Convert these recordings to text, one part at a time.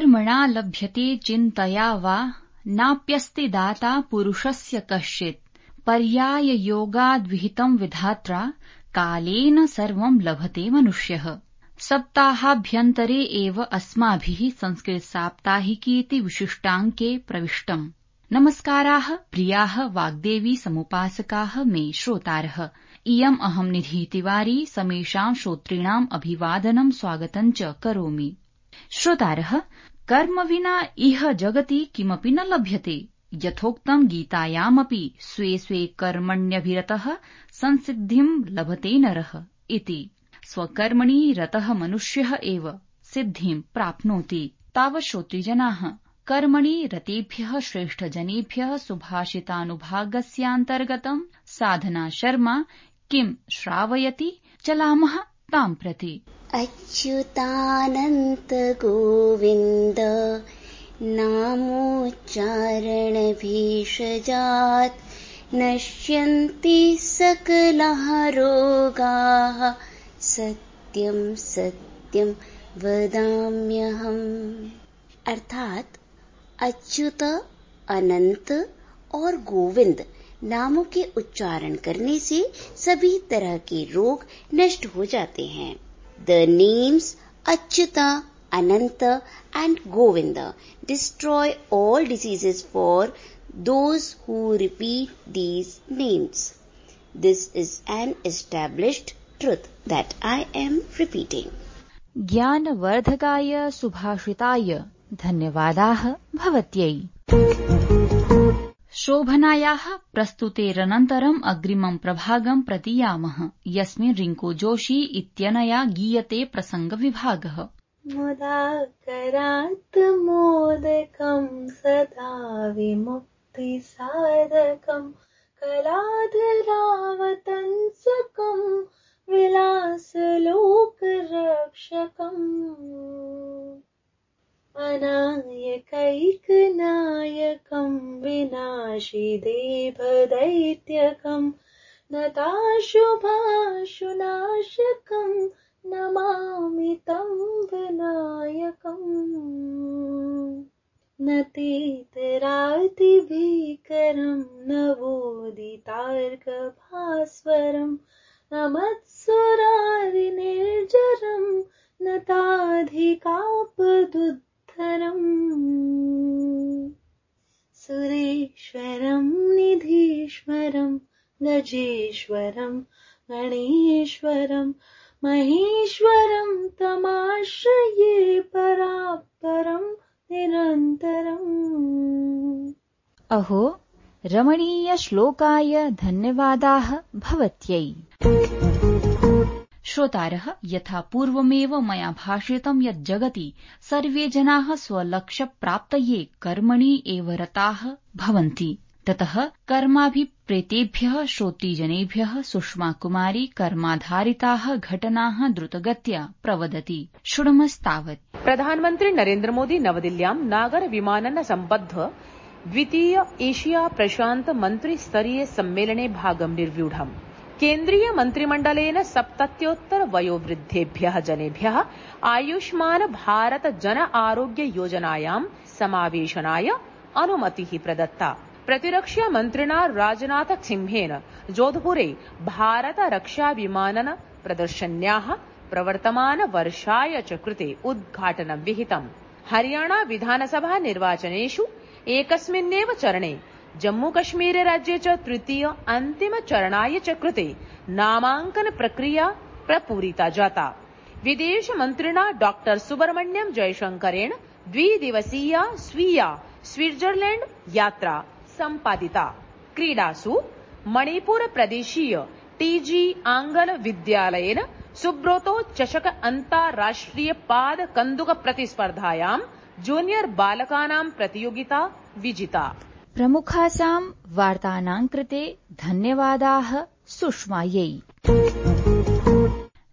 कर्मणा लभ्यते चिन्तया वा नाप्यस्ति दाता पुरुषस्य कश्चित् पर्याययोगाद्विहितं विधात्रा कालेन सर्वं लभते मनुष्यः। सप्ताहाभ्यन्तरे एव अस्माभिः संस्कृत साप्ताहिकीति विशिष्टाङ्के प्रविष्टम्। नमस्काराः प्रियाः वाग्देवी समुपासकाः मे श्रोतारः। इयम् अहम् निधि तिवारी समेषां श्रोतॄणाम् अभिवादनं स्वागतं च करोमि। श्रोतारः, कर्म विना इह जगति किमपि न लभ्यते। यथोक्तं गीतायामपि स्वे स्वे कर्मण्यभिरतः संसिद्धिं लभते नरः इति। स्वकर्मणि रतः मनुष्यः एव सिद्धिं प्राप्नोति। तावत् श्रोतृजनाः, कर्मणि रतेभ्यः श्रेष्ठजनेभ्यः सुभाषितानुभागस्यान्तर्गतं साधना शर्मा किं श्रावयति, चलामः तां प्रति। अच्युतानन्त गोविन्द नामोच्चारणभेषजात् नश्यन्ति सकलाः रोगाः सत्यं सत्यं वदाम्यहम्। अर्थात अच्युत, अनंत और गोविंद नामों के उच्चारण करने से सभी तरह के रोग नष्ट हो जाते हैं। The names Achyuta, Ananta and Govinda destroy all diseases for those who repeat these names. This is an established truth that I am repeating. ज्ञानवर्धकाय सुभाषिताय धन्यवादाः भवत्यै। शोभनायाः प्रस्तुतेरनन्तरम् अग्रिमं प्रभागं प्रतीयामः, यस्मिन् रिङ्को जोशी इत्यनया गीयते प्रसङ्गविभागः। मुदाकरात् मोदकं सदा विमुक्तिसाधकं कलाधरावतंसकं विलासलोकरक्षकम् अनायकैकनायकं विनाशिदेभदैत्यकं नताशुभाशुनाशकं नमामि तं विनायकम्। न तेतरातिभीकरं नवोदितार्कभास्वरं न मत्सुरारिनिर्जरं न ताधिकापदुद्धरम्। सुरेश्वरं निधीश्वरं गजेश्वरं गणेश्वरं महेश्वरं तमाश्रये परात्परं निरन्तरम्। अहो, रमणीयश्लोकाय धन्यवादाः भवत्यै। श्रोतारः, यथा पूर्वमेव मया भाषितं यत् जगति सर्वे जनाः स्वलक्ष्यप्राप्तये कर्मणि एव रताः भवन्ति। ततः कर्माभिप्रेतेभ्यः श्रोतृजनेभ्यः सुषमा कुमारी कर्माधारिताः घटनाः द्रुतगत्या प्रवदति। शृणुमस्तावत्। प्रधानमन्त्री नरेन्द्र मोदी नवदिल्ल्यां नागर विमानन सम्बद्ध द्वितीय एशिया प्रशान्त मन्त्रिस्तरीय सम्मेलने भागं निर्व्यूढम्। केन्द्रीय मन्त्रिमण्डलेन 70 वयोवृद्धेभ्यः जनेभ्यः आयुष्मान भारत जन आरोग्य योजनायां समावेशनाय अनुमतिः प्रदत्ता। प्रतिरक्षा मन्त्रिणा राजनाथ सिंहेन जोधपुरे भारत रक्षा विमानन प्रदर्शन्याः प्रवर्तमान वर्षाय च कृते उद्घाटनं विहितम्। हरियाणा विधानसभा निर्वाचनेषु एकस्मिन्नेव चरणे जम्मूकश्मीर राज्ये च तृतीय अन्तिम चरणाय च कृते नामाङ्कन प्रक्रिया प्रपूरिता जाता। विदेश मन्त्रिणा डॉक्टर सुब्रह्मण्यम जयशंकरेण द्विदिवसीया स्वीया स्विट्जरलैंड यात्रा सम्पादिता। क्रीडासु मणिपुर प्रदेशीय टीजी आंगल विद्यालयेन सुब्रोतो चषक अन्ताराष्ट्रिय पाद कन्दुक प्रतिस्पर्धायां जूनियर बालकानां प्रतियोगिता विजिता। प्रमुखासां वार्तानां कृते धन्यवादाः सुषमायै।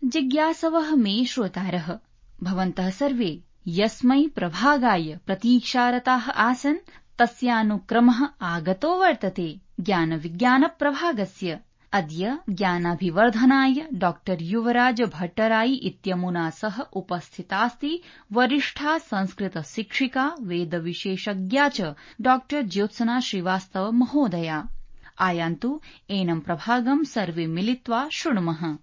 जिज्ञासवः मे श्रोतारः, भवन्तः सर्वे यस्मै प्रभागाय प्रतीक्षारताः आसन् तस्यानुक्रमः आगतो वर्तते ज्ञानविज्ञानप्रभागस्य। अद्य ज्ञानाभिवर्धनाय डॉ युवराज भट्टराई इत्यमुना सह उपस्थितास्ति वरिष्ठा संस्कृत शिक्षिका वेदविशेषज्ञा च डॉ ज्योत्सना श्रीवास्तव महोदया। आयान्तु एनं प्रभागं सर्वे मिलित्वा शृणुमः।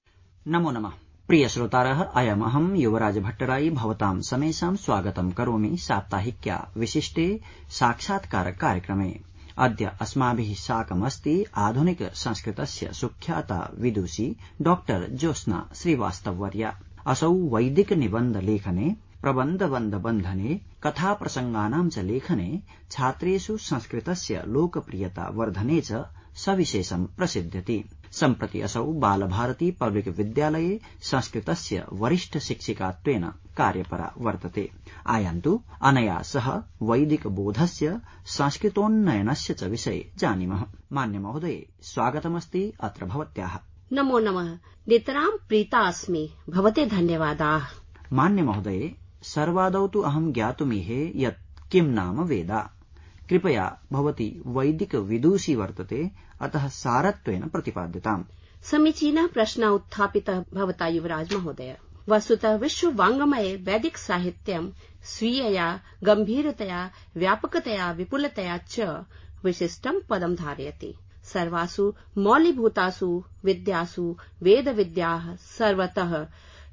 नमो नमः। प्रिय श्रोतारः, अयमहं युवराज भट्टराई भवतां समेषां स्वागतं करोमि साप्ताहिक्या विशिष्टे साक्षात्कार कार्यक्रमे। अद्य अस्माभिः साकमस्ति आधुनिक संस्कृतस्य सुख्याता विदुषी डॉ ज्योत्स्ना श्रीवास्तववर्या। असौ वैदिक निबन्ध लेखने, प्रबन्धबन्धने, कथाप्रसङ्गानां च लेखने, छात्रेषु संस्कृतस्य लोकप्रियता वर्धने च सविशेषं प्रसिद्ध्यति। सम्प्रति असौ बालभारती पब्लिक विद्यालये संस्कृतस्य वरिष्ठ शिक्षिकात्वेन कार्यपरा वर्तते। आयान्तु अनया सह वैदिक बोधस्य संस्कृतोन्नयनस्य च विषये जानीमः। मान्य महोदये, स्वागतमस्ति अत्र भवत्याः। नमो नमः। नितरां प्रीता अस्मि, भवते धन्यवादाः। मान्य महोदये, सर्वादौ तु अहं ज्ञातुमीहे यत् किं नाम वेदा। कृपया भवती वैदिक विदुषी वर्तते, अतः सारत्वेन प्रतिपाद्यताम्। समीचीनः प्रश्नः उत्थापितः भवता युवराज महोदय। वस्तुतः विश्व वाङ्मये वैदिक साहित्यं स्वीयया गम्भीरतया, व्यापकतया, विपुलतया च विशिष्टं पदं धारयति। सर्वासु मौलिभूतासु विद्यासु वेदविद्याः सर्वतः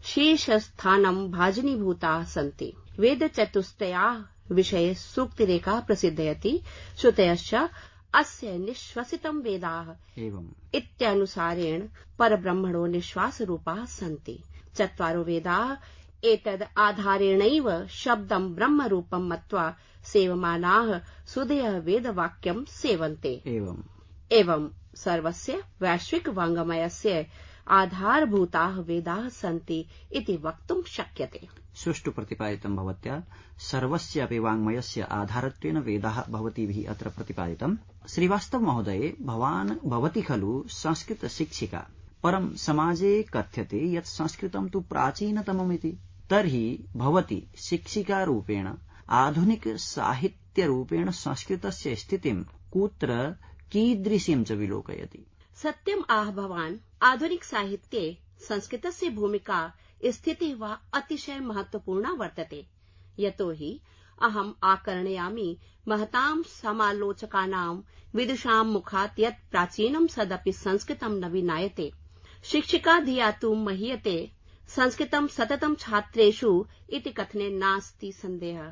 शीर्षस्थानं भाजनीभूताः सन्ति। वेदचतुष्टयाः विषये सूक्तिरेखा प्रसिद्धयति। श्रुतयश्च अस्य निःश्वसितं वेदाः इत्यानुसारेण परब्रह्मणो निःश्वासरूपाः सन्ति। चत्वारो वेदाः एतद् आधारेणैव शब्दं ब्रह्मरूपं मत्वा सेवमानाः सुधयः वेदवाक्यं सेवन्ते। एवं सर्वस्य वैश्विक वाङ्मयस्य आधारभूताः वेदाः सन्ति इति वक्तुं शक्यते। सुष्ठु प्रतिपादितं भवत्या। सर्वस्यापि वाङ्मयस्य आधारत्वेन वेदाः भवतीभिः अत्र प्रतिपादितम्। श्रीवास्तव महोदये, भवती खलु संस्कृत शिक्षिका, परं समाजे कथ्यते यत् संस्कृतं तु प्राचीनतममिति। तर्हि भवती शिक्षिकारूपेण आधुनिक साहित्यरूपेण संस्कृतस्य स्थितिं कुत्र कीदृशीं च विलोकयति? सत्यम् आह भवान्। आधुनिक साहित्ये संस्कृतस्य भूमिका स्थितिः वा अतिशय महत्वपूर्णा वर्तते। यतोहि अहम् आकर्णयामि महतां समालोचकानां विदुषां मुखात् यत् प्राचीनं सदपि संस्कृतं न विनायते। शिक्षिका धिया तु महीयते संस्कृतं सततं छात्रेषु इति कथने नास्ति सन्देहः।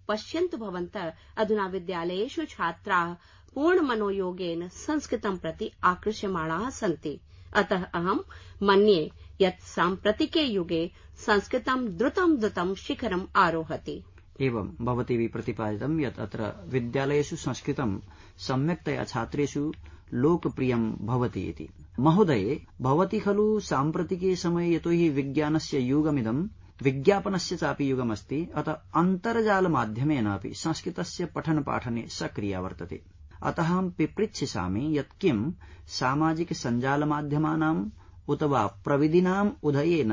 पश्यन्तु भवन्तः, अधुना विद्यालयेषु छात्राः पूर्णमनोयोगेन संस्कृतं प्रति आकृष्यमाणाः सन्ति। अतः अहं मन्ये यत् साम्प्रतिके युगे संस्कृतं द्रुतं शिखरम् आरोहति। एवं भवतीभिः प्रतिपादितं यत् अत्र विद्यालयेषु संस्कृतं सम्यक्तया छात्रेषु लोकप्रियं भवति इति। महोदये, भवती खलु साम्प्रतिके समये, यतोहि विज्ञानस्य युगमिदं, विज्ञापनस्य चापि युगमस्ति, अतः अन्तर्जालमाध्यमेन अपि संस्कृतस्य पठनपाठने सक्रिया वर्तते। अतः अहं पिपृच्छामि यत् किं सामाजिक सञ्जालमाध्यमानाम् उत वा प्रविधिनाम् उदयेन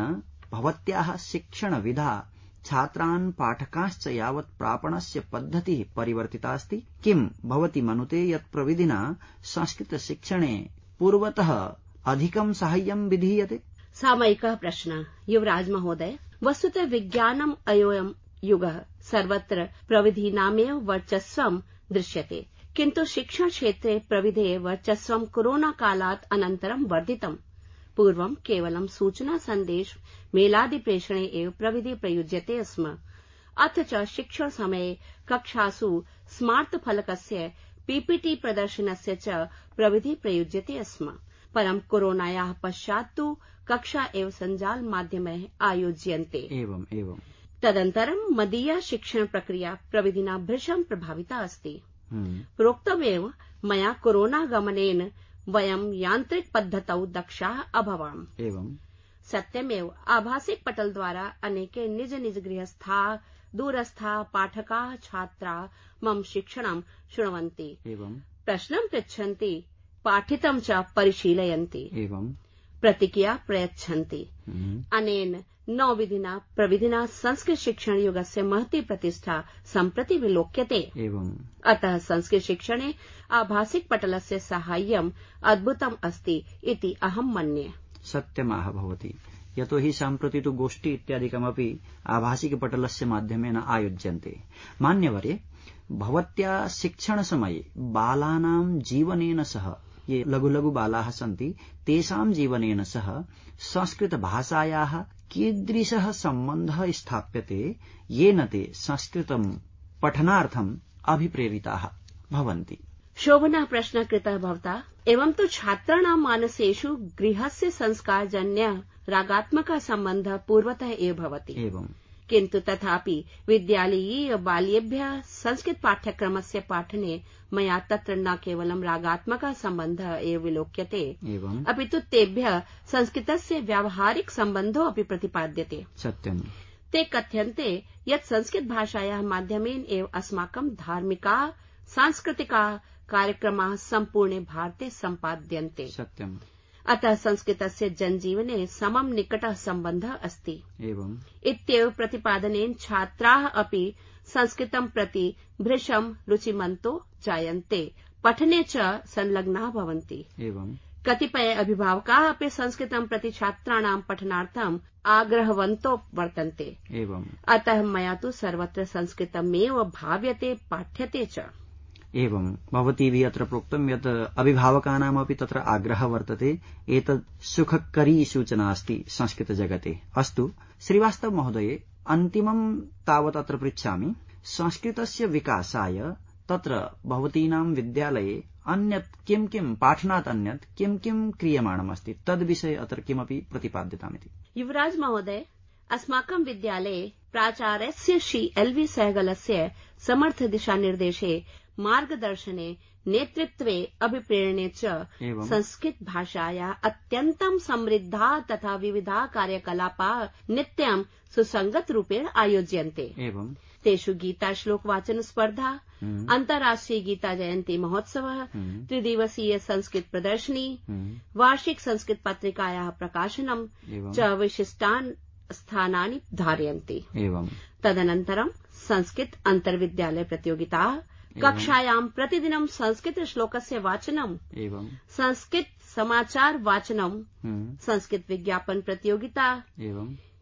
भवत्याः शिक्षणविधा छात्रान् पाठकांश्च यावत् प्रापणस्य पद्धतिः परिवर्तितास्ति? किं भवती मनुते यत् प्रविधिना संस्कृतशिक्षणे पूर्वतः अधिकं साहाय्यं विधीयते? सामयिकः प्रश्नः। युवराज महोदय, वस्तुतः विज्ञानम् अयोऽयं युगः। सर्वत्र प्रविधीनामेव वर्चस्वं दृश्यते, किन्तु शिक्षण क्षेत्रे प्रविधेः वर्चस्वं कोरोना कालात् अनन्तरं वर्धितम्। पूर्वं केवलं सूचना सन्देश मेलादि प्रेषणे एव प्रविधि प्रयुज्यते स्म। अथ च शिक्षण समये कक्षासु स्मार्ट फलकस्य पीपीटी प्रदर्शनस्य च प्रविधि प्रयुज्यते स्म। परं कोरोनायाः पश्चात् तु कक्षा एव सञ्जाल माध्यमैः आयोज्यन्ते। एवं तदनन्तरं मदीया शिक्षण प्रक्रिया प्रविधिना भृशं प्रभाविता अस्ति। प्रोक्तमेव मया कोरोनागमनेन वयं यान्त्रिक पद्धतौ दक्षाः अभवाम। सत्यमेव आभासिक पटल द्वारा अनेके निज निज गृहस्थाः दूरस्थाः पाठकाः छात्राः मम शिक्षणं शृण्वन्ति, प्रश्नं पृच्छन्ति, पाठितं च परिशीलयन्ति। प्रतिक्रिया प्रयच्छन्ति। अनेन नवविधिना प्रविधिना संस्कृत शिक्षण युगस्य महती प्रतिष्ठा सम्प्रति विलोक्यते। अतः संस्कृत शिक्षणे आभासिक पटलस्य साहाय्यम् अद्भुतम् अस्ति इति अहं मन्ये। सत्यमाह भवति, यतोहि सम्प्रति तु गोष्ठी इत्यादिकमपि आभासिक पटलस्य माध्यमेन आयोज्यन्ते। मान्यवरे, भवत्या शिक्षणसमये बालानां जीवनेन सह, ये लघु लघु बालाः सन्ति तेषां जीवनेन सह संस्कृतभाषायाः कीदृशः सम्बन्धः स्थाप्यते येन ते संस्कृतं पठनार्थम् अभिप्रेरिताः भवन्ति। शोभनः प्रश्नः कृतः भवता। एवं तु छात्राणां मानसेषु गृहस्य संस्कारजन्यः रागात्मकः सम्बन्धः पूर्वतः एव भवति। किन्तु तथापि विद्यालयीय बाल्येभ्यः संस्कृत पाठ्यक्रमस्य पाठने मया तत्र न केवलं रागात्मकः सम्बन्धः एव विलोक्यते, अपि तु तेभ्यः संस्कृतस्य व्यावहारिक सम्बन्धो अपि प्रतिपाद्यते। सत्यम्। ते कथ्यन्ते यत् संस्कृत भाषायाः माध्यमेन एव अस्माकं धार्मिकाः सांस्कृतिकाः कार्यक्रमाः सम्पूर्णे भारते सम्पाद्यन्ते। सत्यम्। अतः संस्कृतस्य जनजीवने समं निकटः सम्बन्धः अस्ति। इत्येव प्रतिपादनेन छात्राः अपि संस्कृतं प्रति भृशं रुचिमन्तो जायन्ते, पठने च संलग्नाः भवन्ति। कतिपय अभिभावकाः अपि संस्कृतं प्रति छात्राणां पठनार्थम् आग्रहवन्तो वर्तन्ते। अतः मया तु सर्वत्र संस्कृतमेव भाव्यते, पाठ्यते च। एवं भवतीभिः अत्र प्रोक्तं यत् अभिभावकानामपि तत्र आग्रहः वर्तते। एतत् सुखकरी सूचना अस्ति संस्कृतजगते। अस्तु श्रीवास्तव महोदये, अन्तिमं तावत् अत्र पृच्छामि, संस्कृतस्य विकासाय तत्र भवतीनां विद्यालये अन्यत् किं किं पाठनात् अन्यत् किं किं क्रियमाणमस्ति तद्विषये अत्र किमपि प्रतिपाद्यतामिति। युवराज महोदय, अस्माकं विद्यालये प्राचार्यस्य श्री LV सहगलस्य समर्थ दिशानिर्देशे, मार्गदर्शने, नेतृत्वे, अभिप्रेरणे च संस्कृत भाषाया अत्यन्तं समृद्धा तथा विविधा कार्यकलापाः नित्यं सुसंगत रूपेण आयोज्यन्ते। तेषु गीता श्लोक वाचन स्पर्धा, अंतर्राष्ट्रीय गीता जयंती महोत्सवः, त्रिदिवसीय संस्कृत प्रदर्शनी, वार्षिक संस्कृत पत्रिकायाः प्रकाशनं च विशिष्टान् स्थानानि धारयन्ति। तदनन्तरं संस्कृत अन्तर्विद्यालय प्रतियोगिताः, कक्षायां प्रतिदिनं संस्कृत श्लोकस्य वाचनं, संस्कृत समाचार वाचनं, संस्कृत विज्ञापन प्रतियोगिता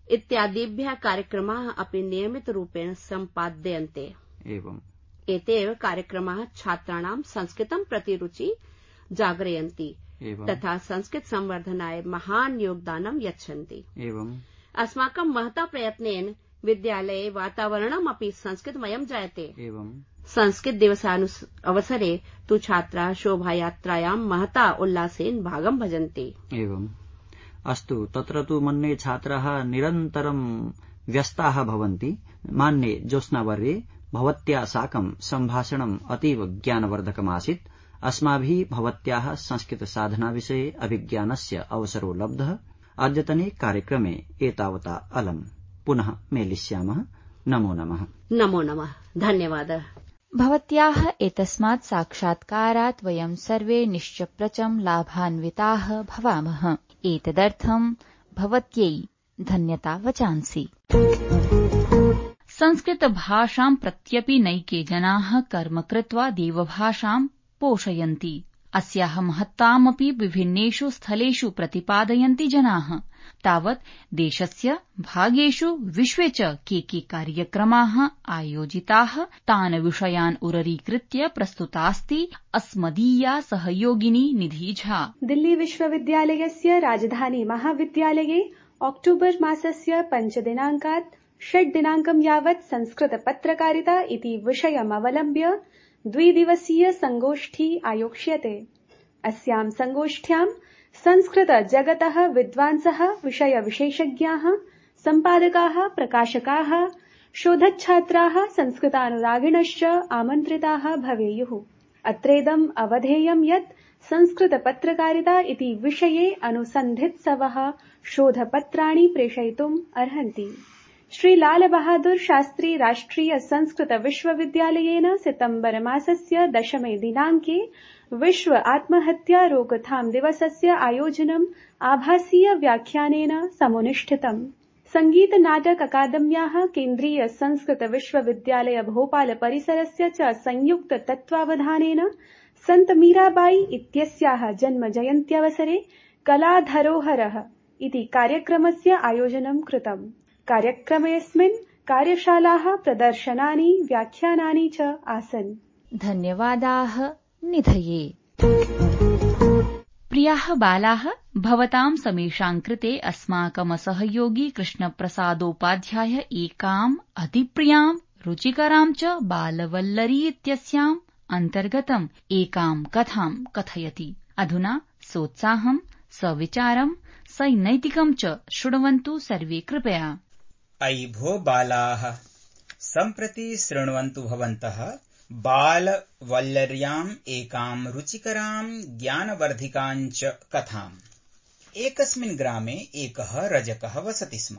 इत्यादिभ्यः कार्यक्रमाः अपि नियमितरूपेण सम्पाद्यन्ते। एतेव कार्यक्रमाः छात्राणां संस्कृतं प्रति रुचि जागरयन्ति तथा संस्कृत संवर्धनाय महान् योगदानं यच्छन्ति। अस्माकं महता प्रयत्नेन विद्यालये वातावरणमपि संस्कृतमयं जायते। संस्कृत दिवसावसरे तु छात्राः शोभायात्रायां महता उल्लासेन भागं भजन्ति। अस्तु, तत्र तु मन्ये छात्राः निरन्तरं व्यस्ताः भवन्ति। मान्ये ज्योत्स्नावर्ये, भवत्या साकं सम्भाषणम् अतीव ज्ञानवर्धकमासीत्। अस्माभिः भवत्याः संस्कृत साधनाविषये अभिज्ञानस्य अवसरो लब्धः। अद्यतने कार्यक्रमे एतावता अलम्। पुनः मेलिष्यामः। नमो नमः। नमो नमः। धन्यवादः। भवत्याः एतस्मात् साक्षात्कारात् वयं सर्वे निश्चप्रचं लाभान्विताः भवामः। एतदर्थं भवत्यै धन्यता वचांसि। संस्कृतभाषां प्रत्यपि नैके जनाः कर्म कृत्वा देवभाषां पोषयन्ति। अस्याः महत्तामपि विभिन्नेषु स्थलेषु प्रतिपादयन्ति जनाः। तावत् देशस्य भागेषु विश्वे च के कार्यक्रमाः आयोजिताः तान् विषयान् उररीकृत्य प्रस्तुतास्ति अस्मदीया सहयोगिनी निधि झा। दिल्ली विश्वविद्यालयस्य राजधानी महाविद्यालये अक्टोबर् मासस्य 5 दिनाङ्कात् 6 दिनाङ्कं यावत् संस्कृत पत्रकारिता इति विषयमवलम्ब्य 2 दिवसीय संगोष्ठी आयोक्ष्यते। अस्यां संगोष्ठ्यां संस्कृत जगतः विद्वांसः, विषय विशेषज्ञाः, सम्पादकाः, प्रकाशकाः, शोधच्छात्राः, संस्कृतानुरागिणश्च आमन्त्रिताः भवेयुः। अत्रेदम् अवधेयं यत् संस्कृत पत्रकारिता इति विषये अनुसन्धित्सवः शोधपत्राणि प्रेषयितुम् अर्हन्ति। श्री लाल बहादुर शास्त्री राष्ट्रिय संस्कृत विश्वविद्यालयेन सितम्बर मासस्य 10 दिनाङ्के विश्व आत्महत्या रोकथाम दिवसस्य आयोजनम् आभासीय व्याख्यानेन समुनुष्ठितम्। संगीत नाटक अकादम्याः केन्द्रीय संस्कृत विश्वविद्यालय भोपाल परिसरस्य च संयुक्त तत्त्वावधानेन सन्त मीराबाई इत्यस्याः जन्म जयन्त्यवसरे कला धरोहरः इति कार्यक्रमस्य आयोजनं कृतम्। कार्यक्रमेऽस्मिन् कार्यशालाः, प्रदर्शनानि, व्याख्यानानि च आसन्। धन्यवादाः निधये। प्रियाः बालाः, भवतां समेषां कृते अस्माकं सहयोगी कृष्णप्रसादोपाध्याय एकाम् अतिप्रियां रुचिकरां च बालवल्लरी इत्यस्याम् अन्तर्गतम् एकां कथां कथयति। अधुना सोत्साहं, सविचारं, सनैतिकं च शृण्वन्तु सर्वे कृपया। अयि भो बालाः, सम्प्रति शृण्वन्तु भवन्तः बालवल्लर्याम् एकाम् रुचिकराम् ज्ञानवर्धिकाञ्च कथाम्। एकस्मिन् ग्रामे एकः रजकः वसति स्म।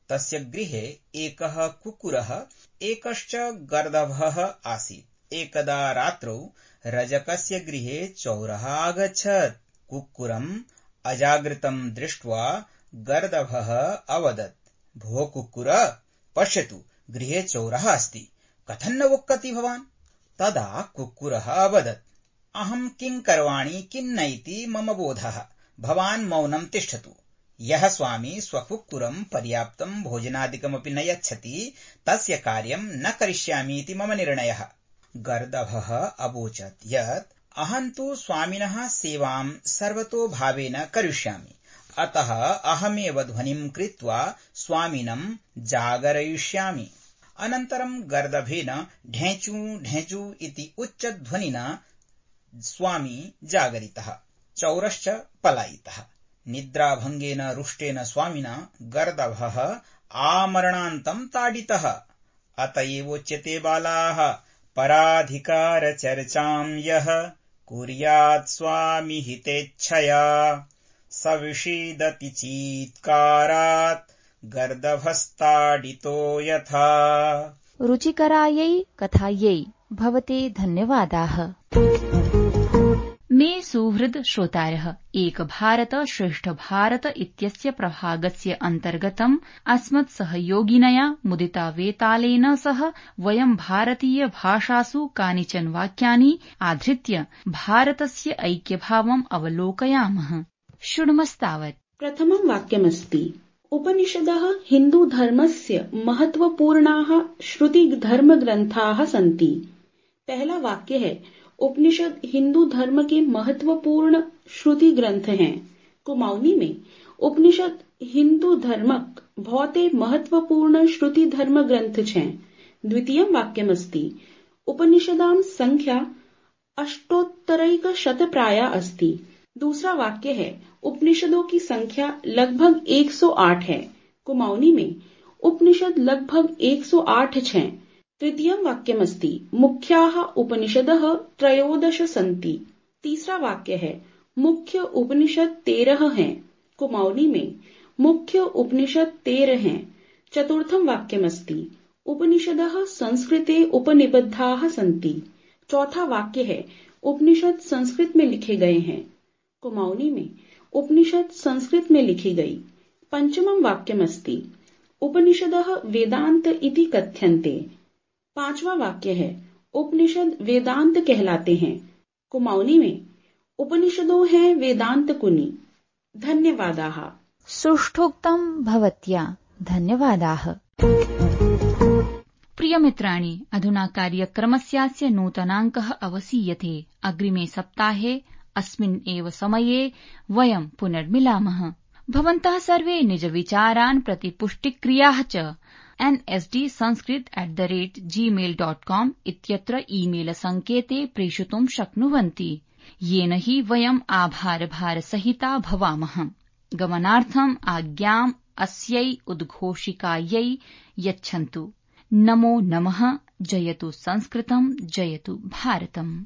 तस्य गृहे एकः कुक्कुरः, एकश्च गर्दभः आसीत्। एकदा रात्रौ रजकस्य गृहे चौरः आगच्छत्। कुक्कुरम् अजागृतम् दृष्ट्वा गर्दभः अवदत्, भो कुक्कुर, पश्यतु, गृहे चौरः अस्ति, कथं न वक्ति भवान्? तदा कुक्कुरः अवदत्, अहम् किं करवाणि किन्नैति मम बोधः, भवान् मौनं तिष्ठतु। यः स्वामी स्वकुक्कुरम् पर्याप्तम् भोजनादिकमपि न यच्छति, तस्य कार्यम् न करिष्यामि इति मम निर्णयः। गर्दभः अवोचत् यत् अहम् तु स्वामिनः सेवाम् सर्वतोभावेन करिष्यामि, अतः अहमेव ध्वनिम् कृत्वा स्वामिनम् जागरयिष्यामि। अनन्तरम् गर्दभेन ढेचू ढेचू इति उच्चध्वनिना स्वामी जागरितः, चौरश्च पलायितः। निद्राभङ्गेन रुष्टेन स्वामिना गर्दभः आमरणान्तम् ताडितः। अत एवोच्यते बालाः, पराधिकारचर्चाम् यः कुर्यात् स्वामी हितेच्छया स विषीदति चीत्कारात् गर्दभस्ताडितो यथा। रुचिकरायै कथायै भवते धन्यवादाः। मे सुहृद श्रोतारः, एक भारत श्रेष्ठ भारत इत्यस्य प्रभागस्य अन्तर्गतम् अस्मत् सहयोगिनया मुदिता वेतालेन सह वयम् भारतीय भाषासु कानिचन वाक्यानि आधृत्य भारतस्य ऐक्यभावम् अवलोकयामः। शृण्मस्तावत्। प्रथमं वाक्यमस्ति, उपनिषदः हिन्दूधर्मस्य महत्वपूर्णाः श्रुतिधर्मग्रन्थाः सन्ति। पहला वाक्य है, उपनिषद हिंदू धर्म के महत्वपूर्ण श्रुति ग्रंथ हैं। कुमाऊनी में उपनिषद हिंदू धर्मक बहुते महत्वपूर्ण श्रुति धर्म ग्रंथ हैं। द्वितीयं वाक्यमस्ति, उपनिषदां संख्या अष्टोत्तरैकशतप्राया अस्ति। दूसरा वाक्य है, उपनिषदों की संख्या लगभग 108 है। कुमाऊनी में उपनिषद लगभग 108 हैं। तृतीयं वाक्यमस्ति, मुख्याः उपनिषदः 13 सन्ति। तीसरा वाक्य है, मुख्य उपनिषद 13 हैं। कुमाऊनी में मुख्य उपनिषद 13 हैं। चतुर्थं वाक्यमस्ति, उपनिषदः संस्कृते उपनिबद्धाः सन्ति। चौथा वाक्य है, उपनिषद संस्कृत में लिखे गए हैं। कुमाऊनी में उपनिषद संस्कृत में लिखी गई। पंचमं वाक्यमस्ति, उपनिषदः वेदांत इति कथ्यन्ते। पांचवा वाक्य है, उपनिषद वेदांत कहलाते हैं। कुमाऊनी में उपनिषदों हैं वेदांत कुनी। धन्यवादाः। सुष्ठोक्तं भवत्या धन्यवादाः। प्रियमित्राणि, अधुना कार्यक्रमस्यास्य नूतनाङ्कः अवसीयते। अग्रिमे सप्ताहे अस्मिन् एव समये वयं पुनर्मिलामः। भवन्तः सर्वे निज विचारान् प्रतिपुष्टिक्रियाः च nsdsanskrit@gmail.com इत्यत्र ईमेल सङ्केते प्रेषितुं शक्नुवन्ति, येन हि वयम् आभारभारसहिता भवामः। गमनार्थम् आज्ञाम् अस्यै उद्घोषिकायै यच्छन्तु। नमो नमः। जयतु संस्कृतम्, जयतु भारतम्।